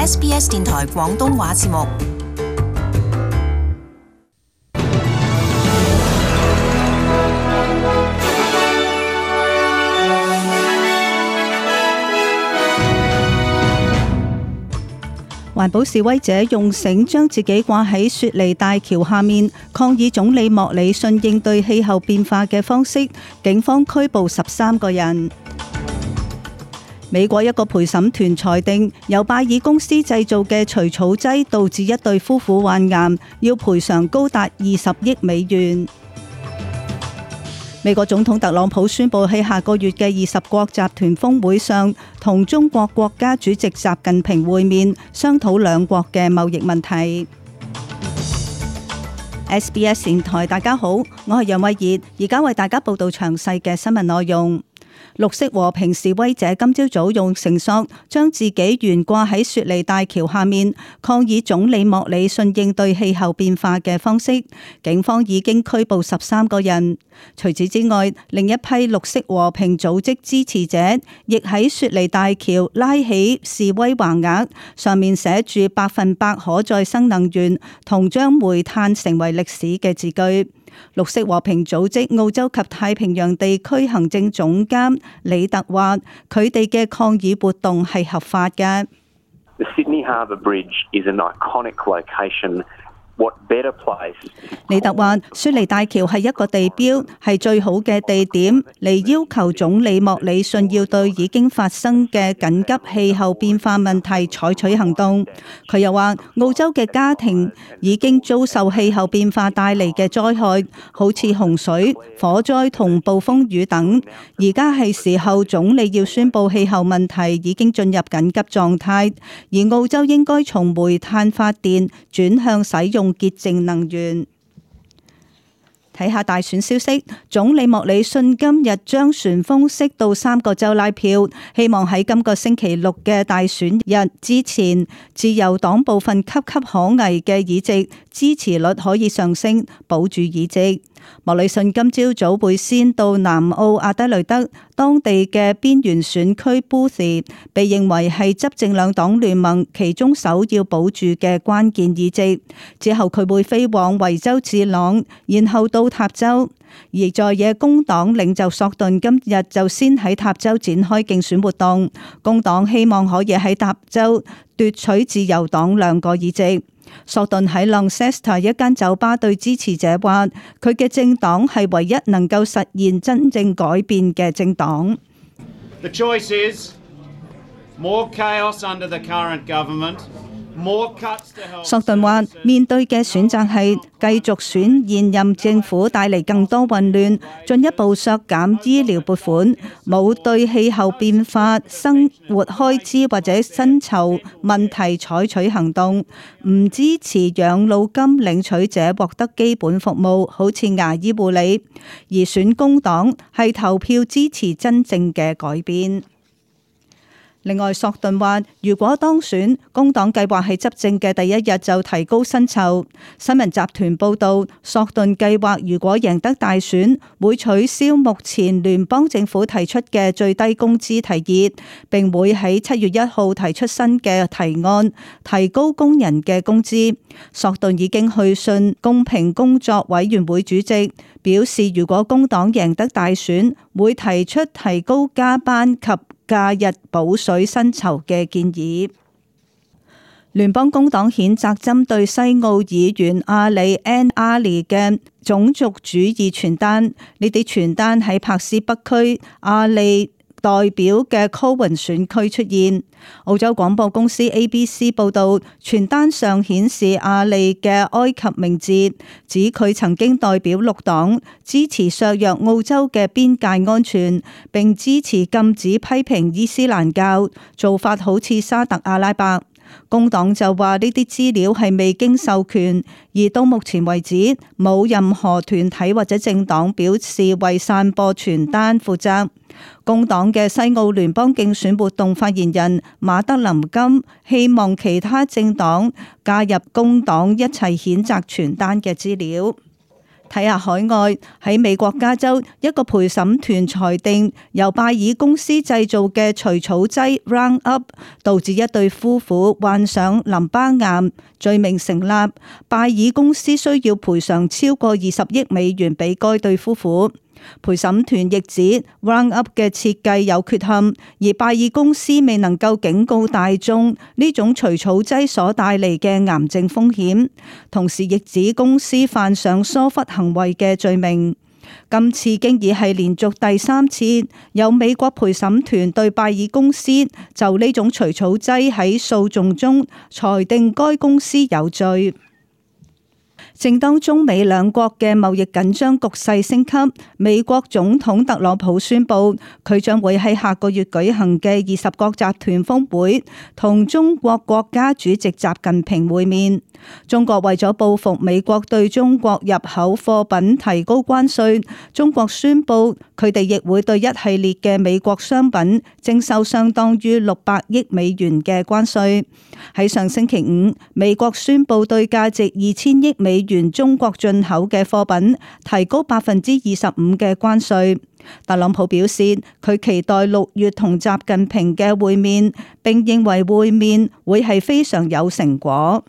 SBS 電台廣東話節目。環保示威者用繩將自己掛喺雪梨大橋下面，抗議總理莫里遜應對氣候變化嘅方式。警方拘捕13個人。美國一個陪審團裁定，由拜耳公司製造嘅除草劑導致一對夫婦患癌，要賠償高達20億美元。美國總統特朗普宣布喺下個月嘅20國集團峰會上，同中國國家主席習近平會面，商討兩國嘅貿易問題。SBS 電台，大家好，我係楊慧儀，而家為大家報道詳細嘅新聞內容。綠色和平示威者今朝早用繩索將自己懸掛喺雪梨大橋下面，抗議總理莫里遜應對氣候變化嘅方式。警方已經拘捕13個人。除此之外，另一批綠色和平組織支持者亦喺雪梨大橋拉起示威橫額，上面寫住100%可再生能源同將煤炭成為歷史嘅字句。綠色和平組織澳洲及太平洋地區行政總監李特話：佢哋嘅抗議活動係合法嘅。The Sydney Harbour Bridge is an iconic location. What better place? 李特話：雪梨大橋係一個地標，係最好嘅地點嚟要求總理莫里遜要對已經發生嘅緊急氣候變化問題採取行動。佢又話：澳洲嘅家庭已經遭受氣候變化帶嚟嘅災害，好似洪水、火災同暴風雨等。而家係時候總理要宣布氣候問題已經進入緊急狀態，而澳洲應該從煤炭發電轉向使用潔淨能源。睇下大選消息，總理莫里遜今日將旋風式到3個州拉票，希望喺今個星期六嘅大選日之前，自由黨部分岌岌可危嘅議席支持率可以上升，保住議席。莫里遜今朝早會先到南澳阿德雷德當地嘅邊緣選區 Booth， 被認為係執政兩黨聯盟其中首要保住嘅關鍵議席。之後佢會飛往維州治朗，然後到塔州。而在野工黨領袖索頓今日就先喺塔州展開競選活動，工黨希望可以喺塔州奪取自由黨2個議席。索頓喺 Launceston 一間酒吧對支持者話：佢嘅政黨係唯一能夠實現真正改變嘅政黨。The choice is more chaos under the current government. 索頓話：面對嘅選擇係繼續選現任政府帶嚟更多混亂，進一步削減醫療撥款，冇對氣候變化、生活開支或者薪酬問題採取行動，唔支持養老金領取者獲得基本服務，好似牙醫護理。而選工黨係投票支持真正嘅改變。另外，索頓話：如果當選，工黨計劃喺執政嘅第一日就提高薪酬。新聞集團報導，索頓計劃如果贏得大選，會取消目前聯邦政府提出嘅最低工資提議，並會喺7月1號提出新嘅提案，提高工人嘅工資。索頓已經去信公平工作委員會主席，表示如果工黨贏得大選，會提出提高加班及假日補水薪酬嘅建議。聯邦工黨譴責針對西澳議員阿里 ·N· 阿里嘅種族主義傳單，呢啲傳單喺柏斯北區阿里代表嘅 Cowan 選區出現。澳洲廣播公司 ABC 報導，傳單上顯示阿里嘅埃及名字，指佢曾經代表綠黨，支持削弱澳洲嘅邊界安全，並支持禁止批評伊斯蘭教，做法好似沙特阿拉伯。工黨就話呢啲資料係未經授權，而到目前為止冇任何團體或者政黨表示為散播傳單負責。工黨嘅西澳聯邦競選活動發言人馬德林金希望其他政黨加入工黨一齊譴責傳單嘅資料。睇下海外，喺美國加州，一個陪審團裁定由拜耳公司製造嘅除草劑 Roundup 導致一對夫婦患上淋巴癌，罪名成立。拜耳公司需要賠償超過20億美元俾該對夫婦。陪審團亦指 Roundup 嘅設計有缺陷，而拜耳公司未能夠警告大眾呢種除草劑所帶嚟嘅癌症風險，同時亦指公司犯上疏忽行為嘅罪名。今次經已係連續第3次有美國陪審團對拜耳公司就呢種除草劑喺訴訟中裁定該公司有罪。正當中美兩國嘅貿易緊張局勢升級，美國總統特朗普宣布，佢將會喺下個月舉行嘅20國集團峰會同中國國家主席習近平會面。中國為咗報復美國對中國入口貨品提高關稅，中國宣布佢哋亦會對一系列嘅美國商品徵收相當於600億美元嘅關稅。喺上星期五，美國宣布對價值2000億美元中國進口嘅貨品提高25%嘅關稅。特朗普表示，佢期待6月同習近平嘅會面，並認為會面會係非常有成果。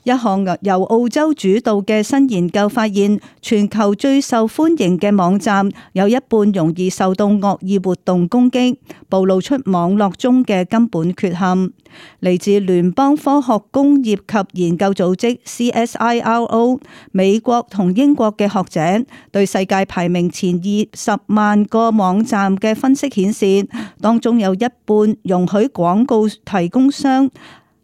一項由澳洲主導嘅新研究發現，全球最受歡迎嘅網站有一半容易受到惡意活動攻擊，暴露出網絡中嘅根本缺陷。嚟自聯邦科學工業及研究組織 CSIRO 美國同英國嘅學者對世界排名前20萬個網站嘅分析顯示，當中有一半容許廣告提供商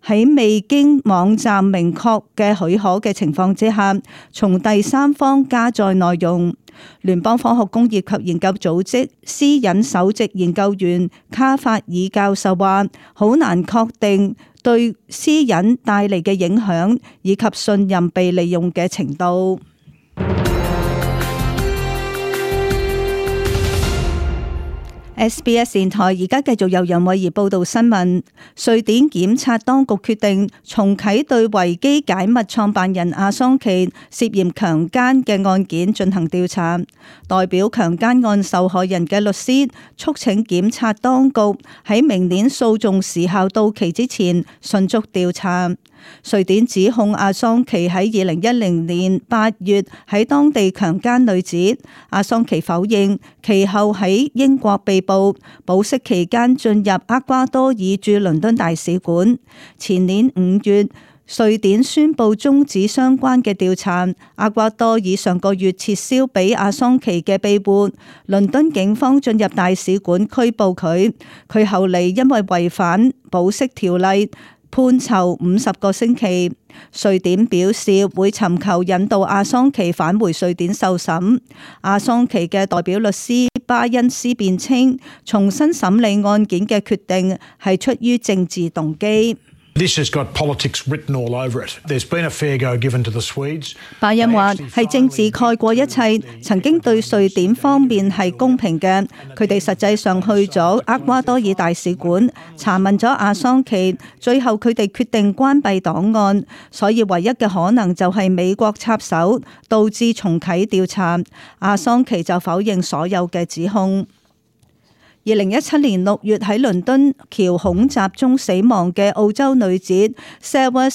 喺未經網站明確嘅許可嘅情況之下，從第三方加載內容。聯邦科學工業及研究組織私隱首席研究員卡法爾教授話，好難確定對私隱帶嚟嘅影響以及信任被利用嘅程度。SBS 電台而家繼續由楊慧儀報道新聞。瑞典檢察當局決定重啟對維基解密創辦人阿桑奇涉嫌強姦嘅案件進行調查。代表強姦案受害人嘅律師促請檢察當局喺明年訴訟時效到期之前迅速調查。瑞典指控阿桑奇喺2010年8月喺當地強姦女子，阿桑奇否認，其後喺英國被捕，保釋期間進入厄瓜多爾駐倫敦大使館。前年5月，瑞典宣布終止相關嘅調查，厄瓜多爾上個月撤銷俾阿桑奇嘅庇護，倫敦警方進入大使館拘捕佢，佢後嚟因為違反保釋條例，判囚50個星期。瑞典表示會尋求引導阿桑奇返回瑞典受審。阿桑奇嘅代表律師巴恩斯辯稱，重新審理案件嘅決定係出於政治動機。This has got politics written all over it. There's been a fair go given to the Swedes. 巴恩話係政治蓋過一切，曾經對瑞典方面係公平嘅。佢哋實際上去咗厄瓜多爾大使館查問咗阿桑奇，最後佢哋決定關閉檔案，所以唯一嘅可能就係美國插手，導致重啟調查。阿桑奇就否認所有嘅指控。2017年6月喺倫敦橋恐襲中死亡嘅澳洲女子 Sarah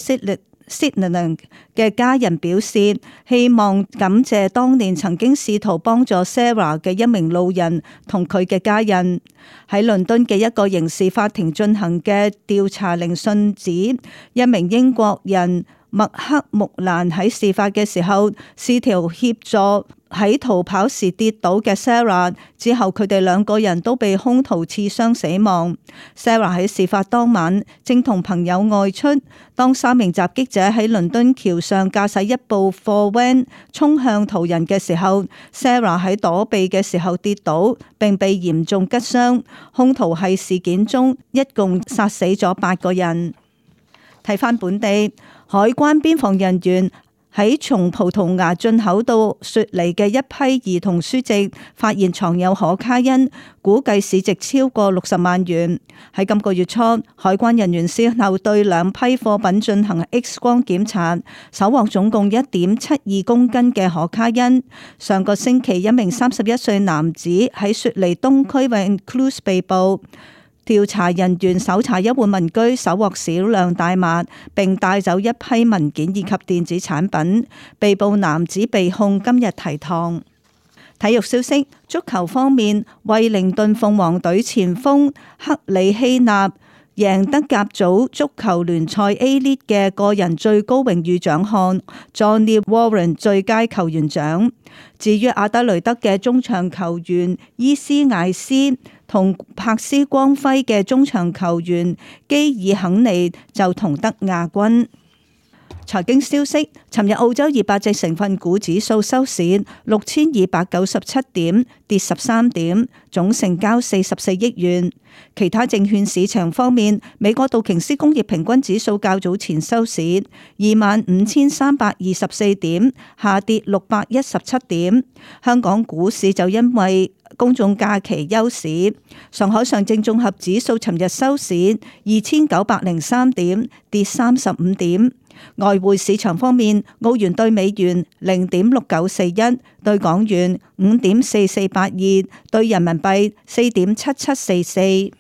Sitherland 嘅家人表示，希望感謝當年曾經試圖幫助 Sarah 嘅一名路人同佢嘅家人。喺倫敦嘅一個刑事法庭進行嘅調查聆訊指，一名英國人麥克穆蘭喺事發嘅時候試圖協助喺逃跑時跌倒嘅 Sarah， 之後佢哋兩個人都被兇徒刺傷死亡。Sarah 喺事發當晚正同朋友外出，當3名襲擊者喺倫敦橋上駕駛一部貨 van 衝向途人嘅時候， Sarah 喺躲避嘅時候跌倒並被嚴重拮傷。兇徒喺事件中一共殺死咗8個人。睇返本地，海關邊防人員喺從葡萄牙進口到雪梨嘅一批兒童書籍發現藏有可卡因，估計市值超過60萬元。喺今個月初，海關人員先後對兩批貨品進行 X 光檢查，搜獲總共1.72公斤嘅可卡因。上個星期，一名31歲男子喺雪梨東區 Vaucluse 被捕。調查人員搜查一戶民居，搜獲少量大麻，並帶走一批文件以及電子產品。被捕男子被控今日提堂。體育消息，足球方面，惠靈頓鳳凰隊前鋒克里希納贏得甲組足球聯賽 A-League 嘅個人最高榮譽獎項 Johnny Warren 最佳球員獎。至於阿德雷德嘅中場球員伊斯艾斯同柏斯光輝嘅中場球員基爾肯尼就同得亞軍。財經消息，尋日澳洲200隻成分股指數收市6297點，跌13點，總成交44億元。其他證券市場方面，美國道瓊斯工業平均指數較早前收市25,324點，下跌617點。香港股市就因為公眾假期休市。上海上證綜合指數尋日收市2903點，跌35點。外匯市場方面，澳元兌美元0.6941，兌港元5.4482，兌人民幣4.7744。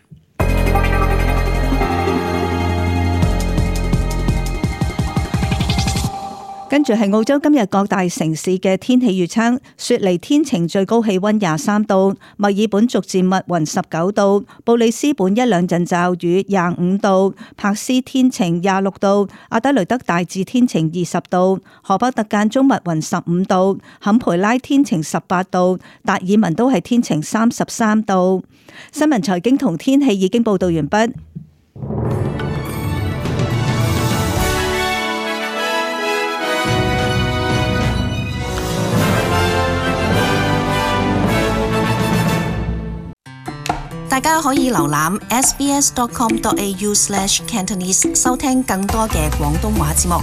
跟住係澳洲今日各大城市嘅天氣預測：雪梨天晴，最高氣溫23度；墨爾本逐漸密雲19度；布里斯本一兩陣驟雨25度；柏斯天晴26度；阿德雷德大致天晴20度；荷伯特間中密雲15度；坎培拉天晴18度；達爾文都係天晴33度。新聞財經同天氣已經報道完畢。大家可以瀏覽 sbs.com.au/cantonese 收聽更多嘅廣東話節目。